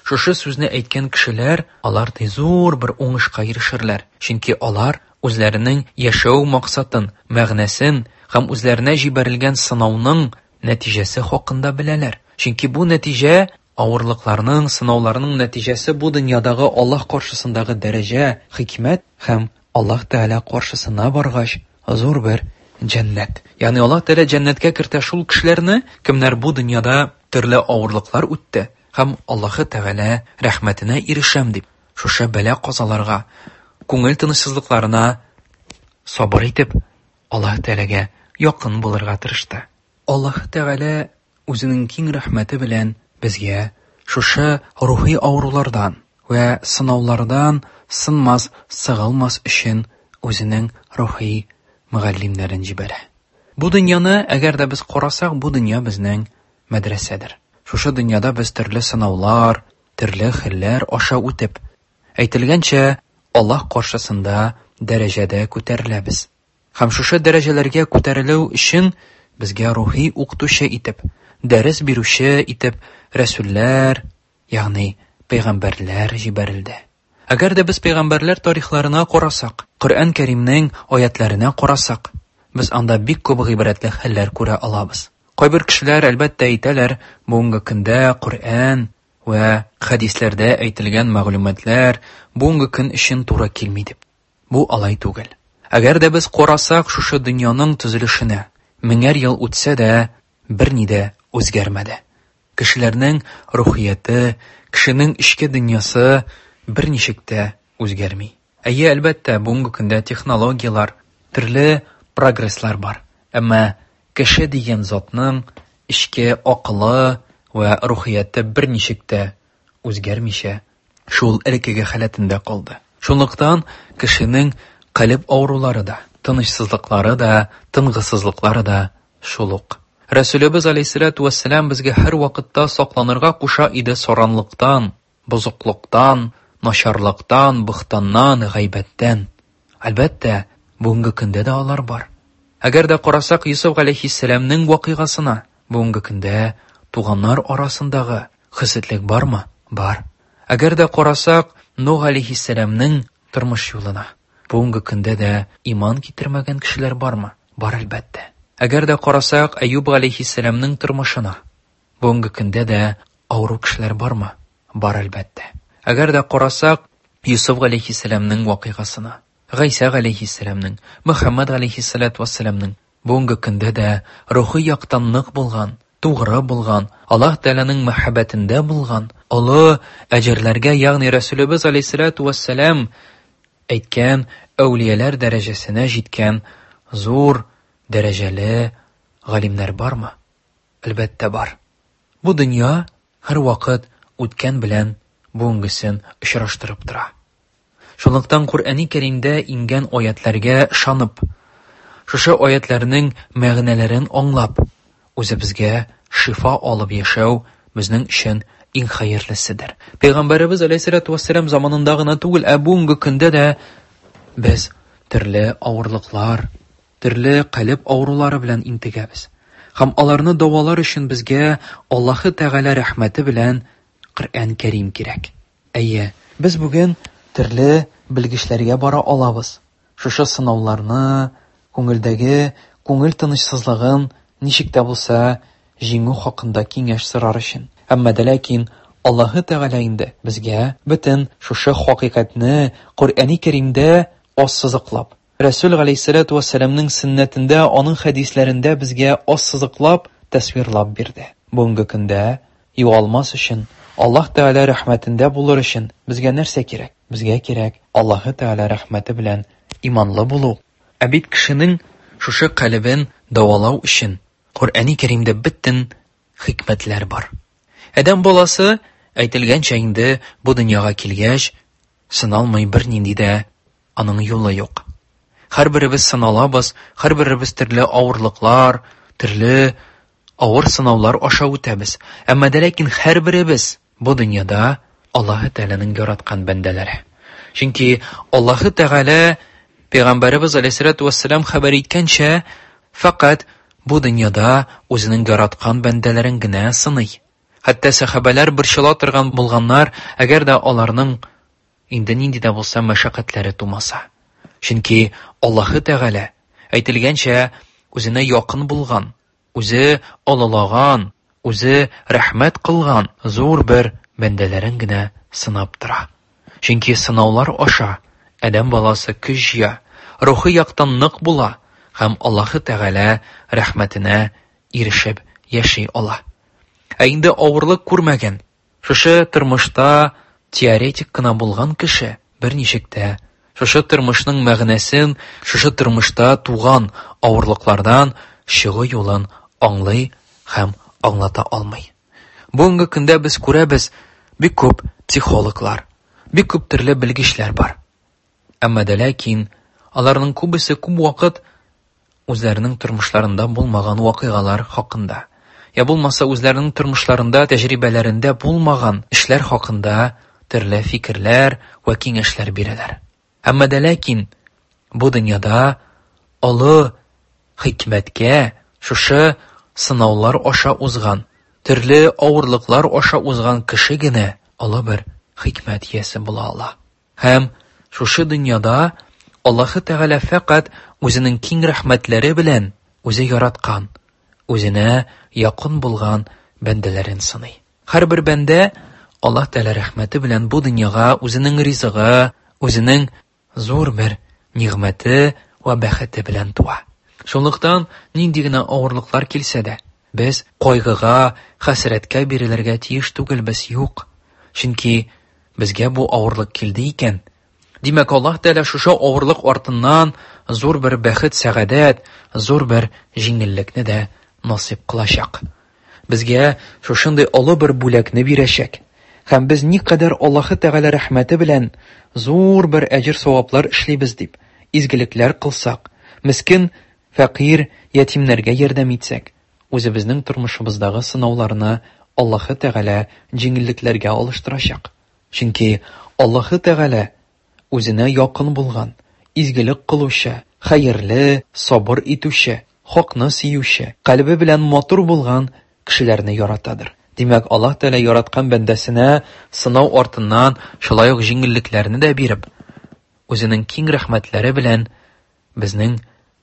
Шушы сүзне әйткән кешеләр, алар ди зур бер уңышка ирешерләр. Чөнки алар үзләренең яшәү максатын, мәгънәсен һәм үзләренә җибәрелгән сынауның нәтиҗәсе хакында беләләр. Чөнки бу нәтиҗә авырлыкларның, сынауларның нәтиҗәсе бу дөньядагы Аллаһ каршысындагы дәрәҗә, хикмәт һәм Аллаһ Тәгалә каршысына баргач зур бер җәннәт. Ягъни Аллаһ Тәгалә җәннәткә кертә шул кешеләрне, кемнәр бу дөньяда төрле авырлыклар үтте һәм Аллаһы Тәгалә рәхмәтенә ирешәм дип, шушы бәла-казаларга, күңел тынычсызлыкларына сабыр итеп, Аллаһ Тәгаләгә якын булырга тырышты. Аллаһы Тәгалә үзенең киң рәхмәте белән безгә шушы рухи авырулардан вә сынаулардан сынмас, сыгылмас өчен үзенең рухи мөгаллимнәрен җибәрә. Бу дөньяны, әгәр дә без карасак, бу дөнья безнең мәдрәсәдер. Шушы дөньяда без төрле сынаулар, төрле хәлләр аша үтеп, әйтелгәнчә, Аллаһ каршысында дәрәҗәдә күтәреләбез. Һәм шушы дәрәҗәләргә күтәрелү өчен безгә рухи укытучы итеп, дәрес бирүче итеп рәсүлләр, ягъни пәйгамбәрләр җибәрелде. Әгәр дә без пәйгамбәрләр тарихларына карасак, Коръән Кәримнең аятларына карасак, без анда бик күп гыйбрәтле хәлләр күрә алабыз. Кайбер кешеләр әлбәттә әйтәләр, бүгенге көндә Коръән вә хәдисләрдә әйтелгән мәгълүматлар бүгенге көн өчен туры килми дип. Бу алай түгел. Әгәр дә без карасак шушы дөньяның төзелешенә, меңәр ел үтсә дә берни дә үзгәрмәде. Кешеләрнең рухияте, кешенең эчке дөньясы берничек тә үзгәрми. Әйе, әлбәттә, бүгенге көндә технологияләр, төрле прогресслар бар. Әмма кеше дигән затның эчке акылы вә рухияте берничек тә үзгәрмичә шул элеккеге халәтендә калды. Шунлыктан кешенең калеб авырулары да, тынычсызлыклары да, тынгысызлыклары да шул ук. Рәсүлебез алейһиссалату вәссәлам безгә һәр вакытта сакланырга куша иде саранлыктан, бозыклыктан, начарлыктан, бөхтаннан, гайбәттән. Әлбәттә, бүгенге көндә дә алар бар. Әгәр дә карасак Юсуф алейһиссәламнең вакыйгасына, бүгенге көндә туганнар арасындагы хөсетлек бармы? Бар. Әгәр дә карасак Нух алейһиссәламнең тормыш юлына, бүгенге көндә дә иман китермәгән кешеләр бармы? Бар әлбәттә. Әгәр дә карасак Әюб алейһиссәламнең тормышына, бүгенге көндә дә авыру кешеләр бармы? Бар әлбәттә. Әгәр дә карасак Юсуф алейһиссәламнең вакыйгасына, Гайсә алейһиссәламнең, Мөхәммәд алейһиссәлату вәссәламнең бүгенге көндә дә рухи яктан нык булган, тугры булган, Аллаһ Тәгаләнең мәхәббәтендә булган, олы әҗерләргә, ягъни Рәсүлебез алейһиссәлату вәссәлам әйткән әүлияләр дәрәҗәсенә җиткән зур дәрәҗәле галимнәр бармы? Әлбәттә бар. Бу дөнья һәр вакыт үткән белән бүгенгесен очраштырып тора. Шунлыктан Коръәни Кәримдә иңгән аятларга ышанып, шушы аятларның мәгънәләрен аңлап, үзебезгә шифа алып яшәү безнең өчен иң хәерлеседер. Пәйгамбәребез алейһиссалату вәссәлам заманында гына түгел, ә бүгенге көндә дә без төрле авырлыклар, төрле калеб авырулары белән интегәбез. Һәм аларны дәвалар өчен безгә Аллаһы Тәгалә рәхмәте белән Коръән Кәрим кирәк. Әйе, без бүген төрле белгечләргә бара алабыз. Шушы сынауларны, күңелдәге күңел тынычсызлыгын ничек тә булса җиңү хакында киңәш сорар өчен. Әмма дә ләкин Аллаһы Тәгалә инде безгә бөтен шушы хакыйкатьне Коръәни Кәримдә ассызыклап, Рәсүл галәйһиссәлату вәссәламнең сөннәтендә, аның хәдисләрендә безгә ассызыклап, тасвирлап бирде. Бүгенге көндә югалмас өчен, Аллаһ Тәгалә рәхмәтендә булыр өчен безгә нәрсә кирәк? Безгә кирәк Аллаһы Тәгалә рәхмәте белән иманлы булу. Ә бит кешенең шушы калебен дәвалау өчен Коръәни Кәримдә бөтен хикмәтләр бар. Адәм баласы, әйтелгәнчә инде бу дөньяга килгәч, сыналмый бернинди дә аның юлы юк. Һәрберебез сыналабыз, һәрберебез төрле авырлыклар, төрле авыр сынаулар аша үтәбез. Әмма дә ләкин һәрберебез бу дөньяда Аллаһы Тәгаләнең яраткан бәндәләре. Чөнки Аллаһы Тәгалә Пәйгамбәребез алейһиссалату вәссәлам хәбәр иткәнчә, фәкать бу дөньяда үзенең яраткан бәндәләрен генә сыный. Хәтта сәхабәләр борчыла торган булганнар, әгәр дә аларның инде нинди дә булса мәшәкатьләре тумаса. Чөнки Аллаһы Тәгалә әйтелгәнчә үзенә якын булган, үзе олылаган, үзе рәхмәт кылган зур бер бәндәләрен генә сынап тора. Чөнки сынаулар аша адәм баласы көч җыя, рухи яктан нык була һәм Аллаһы Тәгалә рәхмәтенә ирешеп яши ала. Ә инде авырлык күрмәгән, шушы тормышта теоретик кына булган кеше берничек тә шушы тормышның мәгънәсен, шушы тормышта туган авырлыклардан чыгу юлын аңлый һәм аңлата алмый. Бүгенге көндә без күрәбез, бик күп психологлар, бик күп төрле белгечләр бар. Әмма дә ләкин аларның күбесе күп вакыт үзләренең тормышларында булмаган вакыйгалар хакында, я булмаса үзләренең тормышларында, тәҗрибәләрендә булмаган эшләр хакында төрле фикерләр вә киңәшләр бирәләр. Әмма дә ләкин бу дөньяда олы хикмәткә шушы сынаулар аша узган, төрле авырлыклар аша узган кеше генә олы бер хикмәт иясе була ала. Һәм шушы дөньяда Аллаһы Тәгалә фәкать үзенең киң рәхмәтләре белән үзе яраткан, үзенә якын булган бәндәләрен сыный. Һәрбер бәндә Аллаһ Тәгалә рәхмәте белән бу дөньяга үзенең ризыгы, үзенең зур бер нигъмәте вә бәхете белән туа. Шунлыктан нинди генә авырлыклар килсә дә, без кайгыга, хәсрәткә бирелергә тиеш түгелбез, юк. Чөнки безгә бу авырлык килде икән, димәк, Аллаһ Тәгалә шушы авырлык артыннан зур бер бәхет, сәгадәт, зур бер җиңеллекне дә насыйп кылачак. Безгә шушындый олы бер бүләкне бирәчәк. Һәм без никадәр Аллаһы Тәгалә рәхмәте белән зур бер әҗер-саваплар эшлибез дип, изгелекләр кылсак, мескен, фәкыйрь, ятимнәргә ярдәм итсәк, үзебезнең тормышыбыздагы сынауларны Аллаһы Тәгалә җиңеллекләргә алыштырачак. Чөнки Аллаһы Тәгалә үзенә якын булган, изгелек кылучы, хәерле, сабыр итүче, хакны сөюче, кальбе белән матур булган кешеләрне яратадыр. Димәк, Аллаһ Тәгалә яраткан бәндәсенә сынау артыннан шулай ук җиңеллекләрне дә биреп, үзенең киң рәхмәтләре белән безнең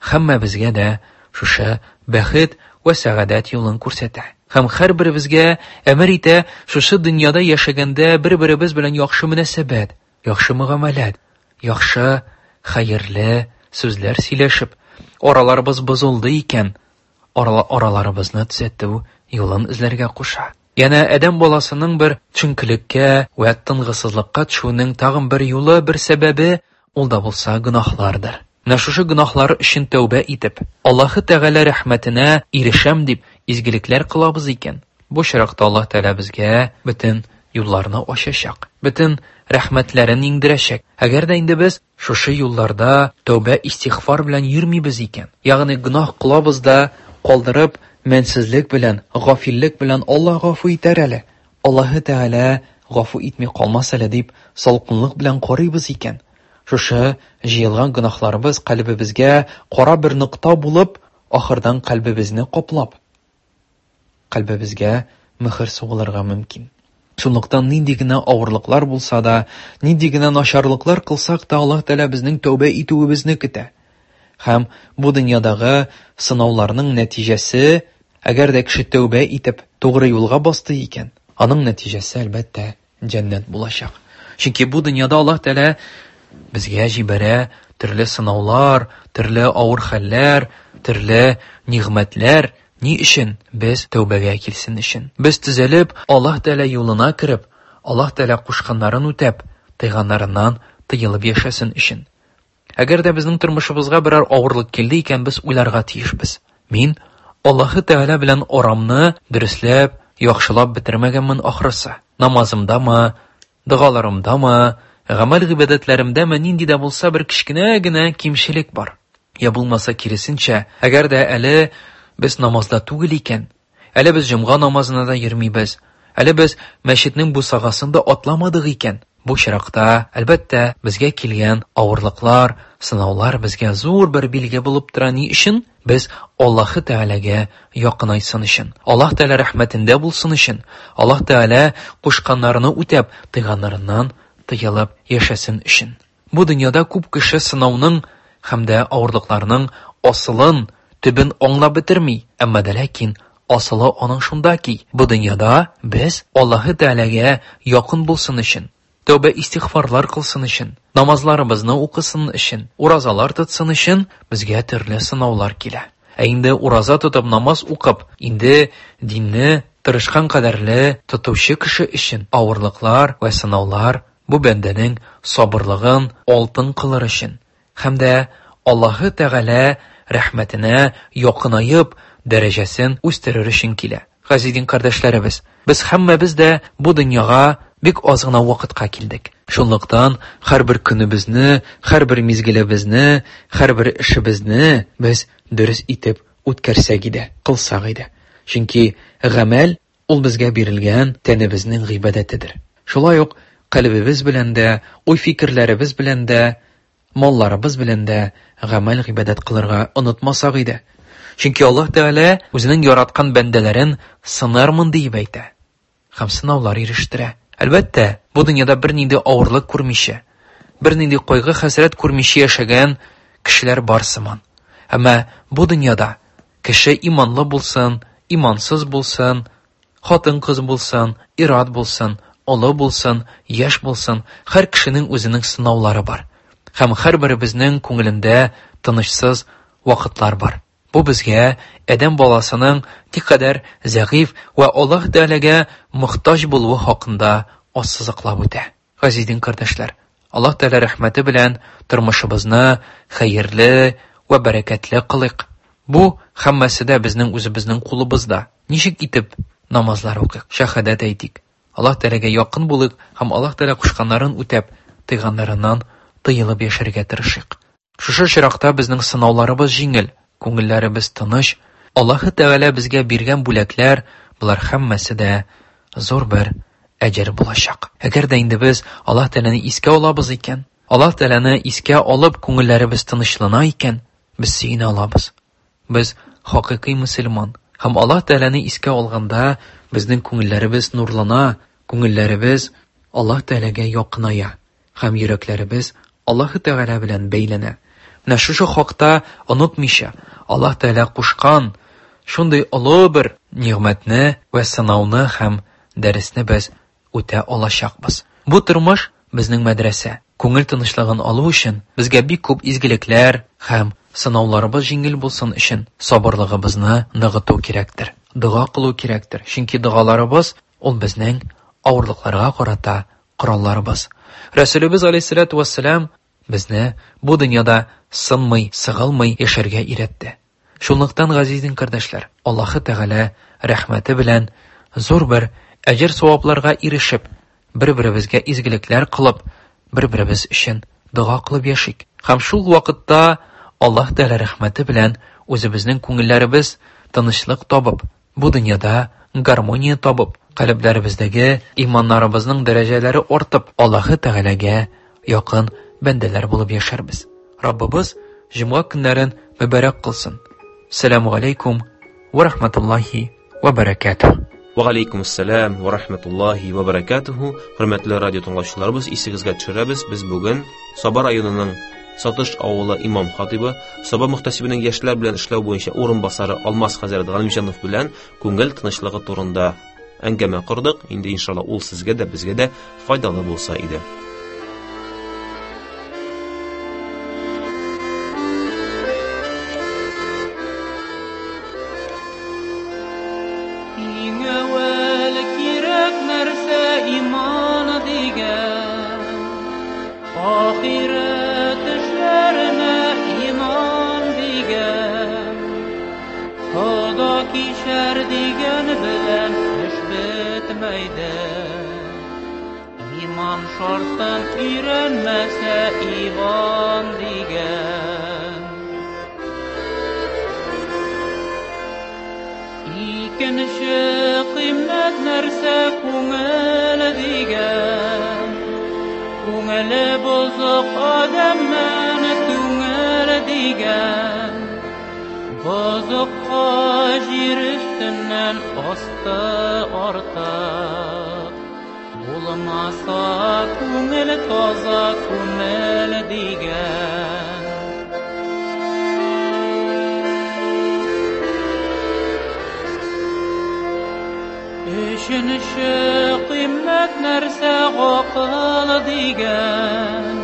һәммәбезгә дә шушы бәхет вә сәгадәт юлын күрсәтә. Һәм һәрберебезгә әмер итә шушы дөньяда яшәгәндә бер-беребез белән яхшы мөнәсәбәт, яхшы мөгамәләт, яхшы хәерле сүзләр сөйләшеп, араларыбыз бозылды икән, араларыбызны төзәтү юлын эзләргә куша. Яна адәм баласының бер төшенкелеккә вә тынгысызлыкка төшүенең тагын бер юлы, бер сәбәбе ул да булса гөнаһлардыр. Менә шушы гөнаһлар өчен тәүбә итеп, Аллаһы Тәгалә рәхмәтенә ирешәм дип изгелекләр кылабыз икән, бу очракта Аллаһ Тәгалә безгә бөтен юлларны ачачак, бөтен рәхмәтләрен иңдерәчәк. Әгәр дә инде без шушы юлларда тәүбә истигъфар белән йөрмибез икән, ягъни гөнаһ кылабыз да калдырып, мәнсезлек белән, гафиллек белән Аллаһ гафу итәр әле, Аллаһы Тәгалә гафу итми калмас әле дип салкынлык белән карыйбыз икән, шушы җыелган гөнаһларыбыз кальбебезгә кара бер нокта булып, ахырдан кальбебезне каплап, кальбебезгә мөһер сугылырга мөмкин. Шунлыктан нинди генә авырлыклар булса да, нинди генә начарлыклар кылсак та, Аллаһ Тәгалә безнең тәүбә итүебезне көтә. Һәм бу дөньядагы сынауларның нәтиҗәсе, әгәр дә кеше тәүбә итеп тугры юлга басты икән, аның нәтиҗәсе әлбәттә җәннәт булачак. Чөнки бу дөньяда Аллаһ Тәгалә безгә җибәрә төрле сынаулар, төрле авыр хәлләр, төрле нигъмәтләр. Ни өчен? Без тәүбәгә килсен өчен. Без төзәлеп, Аллаһ Тәгалә юлына кереп, Аллаһ Тәгалә кушканнарын үтәп, тыйганнарыннан тыелып яшәсен өчен. Әгәр дә безнең тормышыбызга берәр авырлык килде икән, без уйларга тиешбез. Мин Аллаһы Тәгалә белән арамны дөресләп, яхшылап бетермәгәнмен ахрысы. Намазымдамы, догаларымдамы, гамәл гыйбадәтләремдәме нинди дә булса бер кечкенә генә кимчелек бар. Я булмаса киресенчә, әгәр дә әле без намазда түгел икән, әле без җомга намазына да йөрмибез, әле без мәчетнең бусагасын да атламадык икән, бу очракта, әлбәттә, безгә килгән авырлыклар, сынаулар безгә зур бер билге булып тора. Ни өчен? Без Аллаһы Тәгаләгә якынайсын өчен, Аллаһ Тәгалә рәхмәтендә булсын өчен, Аллаһ Тәгалә кушканнарны үтәп, тыйганнарыннан тыелып яшәсен өчен. Бу дөньяда күп кеше сынауның һәм дә авырлыкларның асылын, төбен аңлап бетерми, әмма дә ләкин асылы аның шунда ки, бу дөньяда без Аллаһы Тәгаләгә якын булсын өчен, тәүбә истигъфарлар кылсын өчен, намазларыбызны укысын өчен, уразалар тотсын өчен безгә төрле сынаулар килә. Ә инде ураза тотып, намаз укып, инде динне тырышкан кадәрле тотучы кеше өчен авырлыклар вә сынаулар бу бәндәнең сабырлыгын алтын кылыр өчен һәм дә Аллаһы Тәгалә рәхмәтенә якынаеп дәрәҗәсен үстерер өчен килә. Газиз дин кардәшләребез, без һәммәбез дә бу дөньяга бик аз гына вакытка килдек. Шунлыктан һәрбер көнебезне, һәрбер мизгелебезне, һәрбер эшебезне без дөрес итеп үткәрсәк иде, кылсак иде. Чөнки гамәл ул безгә бирелгән тәнебезнең гыйбадәтедер. Шулай ук калбебез белән дә, уй-фикерләребез белән дә, малларыбыз белән дә гамәл гыйбадәт кылырга онытмасак иде. Чөнки Аллаһ Тәгалә үзенең яраткан бәндәләрен сынармын диеп әйтә һәм сынаулар ирештерә. Әлбәттә, бу дөньяда бернинди авырлык күрмичә, бернинди кайгы-хәсрәт күрмичә яшәгән кешеләр бар сыман. Әмма бу дөньяда кеше иманлы булсын, имансыз булсын, хатын-кыз булсын, ир-ат булсын, олы булсын, яшь булсын, һәр кешенең үзенең сынаулары бар. Һәм һәрберебезнең күңелендә тынычсыз вакытлар бар. Бу безгә адәм баласының никадәр зәгыйфь вә Аллаһ Тәгаләгә мохтаҗ булуы хакында ассызыклап үтә. Газиз дин кардәшләр, Аллаһ Тәгалә рәхмәте белән тормышыбызны хәерле вә бәрәкәтле кылыйк. Бу һәммәсе дә безнең үзебезнең кулыбызда. Ничек итеп намазлар укыйк, шәһадәт әйтик, Аллаһ Тәгаләгә якын булыйк һәм Аллаһ Тәгалә кушканнарын үтәп, тыйганнарыннан тыелып яшәргә тырышыйк. Шушы очракта безнең сынауларыбыз җиңел, күңелләребез тыныч. Аллаһы Тәгалә безгә биргән бүләкләр, болар һәммәсе дә зур бер әҗер булачак. Әгәр дә инде без Аллаһ Тәгаләне искә алабыз икән, Аллаһ Тәгаләне искә алып күңелләребез тынычлана икән, без сөенә алабыз. Без хакыйкый мөселман. Һәм Аллаһ Тәгаләне искә алганда безнең күңелләребез нурлана, күңелләребез Аллаһ Тәгаләгә якыная һәм йөрәкләребез Аллаһы Тәгалә белән бәйләнә. Менә шушы хакта онытмыйча, Аллаһ Тәгалә кушкан шундый олы бер нигъмәтне вә сынауны һәм дәресне без үтә алачакбыз. Бу тормыш безнең мәдрәсә. Күңел тынычлыгын алу өчен безгә бик күп изгелекләр һәм сынауларыбыз җиңел булсын өчен сабырлыгыбызны ныгыту кирәктер. Дога кылу кирәктер. Чөнки догаларыбыз ул безнең авырлыкларга карата коралларыбыз. Рәсүлебез алейһиссалату вассалам безне бу дөньяда сынмый, сыгылмый яшәргә өйрәтте. Шунлыктан, газиз дин кардәшләр, Аллаһы Тәгалә рәхмәте белән зур бер әҗер савапларга ирешеп, бер-беребезгә изгелекләр кылып, бер-беребез өчен дога кылып яшик. Һәм шул вакытта Аллаһ Тәгалә рәхмәте белән үзебезнең күңелләребез тынычлык табып, бу дөньяда гармония табып, калебләребездәге иманнарыбызның дәрәҗәләре артып, Аллаһы Тәгаләгә якын бәндәләр булып яшәрбез. Раббыбыз җомга көннәрен мөбарәк кылсын. Сәламу алейкум ва рахматуллахи ва баракатуһ. Ва алейкум ассалам ва рахматуллахи ва баракатуһу. Хөрмәтле радио тыңлаучыларыбыз, исегезгә төшерәбез, без бүген Саба районының Сатыш авылы имам хатибы, Саба мөхтәсибенең яшьләр белән эшләү буенча урынбасары Алмаз хәзрәт Галимҗанов белән күңел тынычлыгы турында әңгәмә кордык. Инде иншалла ул сезгә дә, безгә дә файдалы булса иде. Иң әүвәл кирәк нәрсә иман дигән, ахирәт эшләренә иман дигән, Хода кичәр дигән белән эш бетмәйде. Иман шартын өйрәнмәсә Иван дигән. Икенче кыйммәт нәрсә күңел дигән. Күңеле бозык адәмнән түңел дигән. Бозыкка җир өстеннән асты артык. Булмаса күңел таза күңел дигән. Өченче кыйммәт нәрсә гакыл дигән.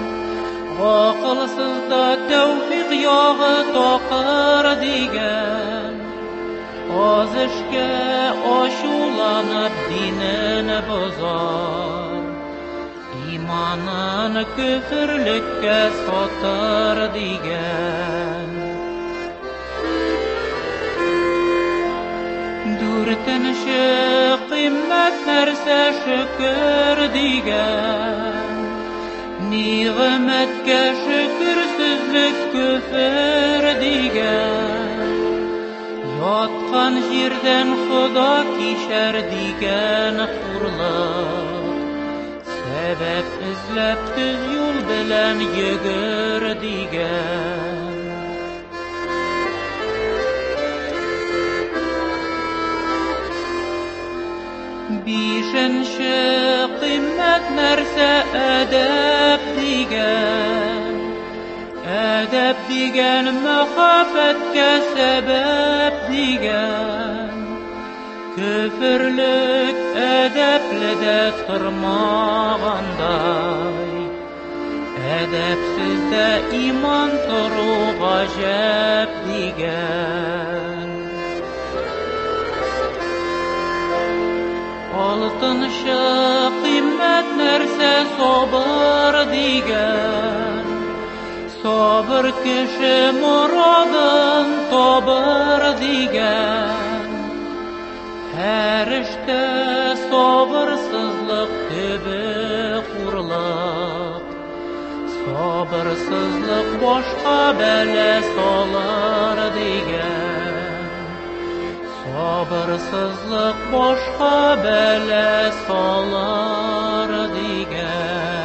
Гакылсызда тәүфик ягы такыр дигән. Аз эшкә ачуланып динен бозар, иманын көферлеккә сатыр дигән. Дүртенче кыйммәт нәрсә шөкер дигән. Нигъмәткә шөкерсезлек көфер дигән. Яткан җирдән Хода кичәр дигән хурлык. Сәбәп эзләп төз юл белән йөгер дигән. Бишенче кыйммәт нәрсә әдәп дигән. Әдәп дигән мәхәббәткә сәбәп дигән. Көферлек әдәпле дә тормагандай, әдәпсездә иман тору гаҗәп дигән. Алтынчы кыйммәт нәрсә сабыр дигән. Сабыр кеше морадын табыр дигән. Һәр эштә сабырсызлык төбе хурлык. Сабырсызлык башка бәла салыр дигән. Сабырсызлык башка бәла салыр дигән.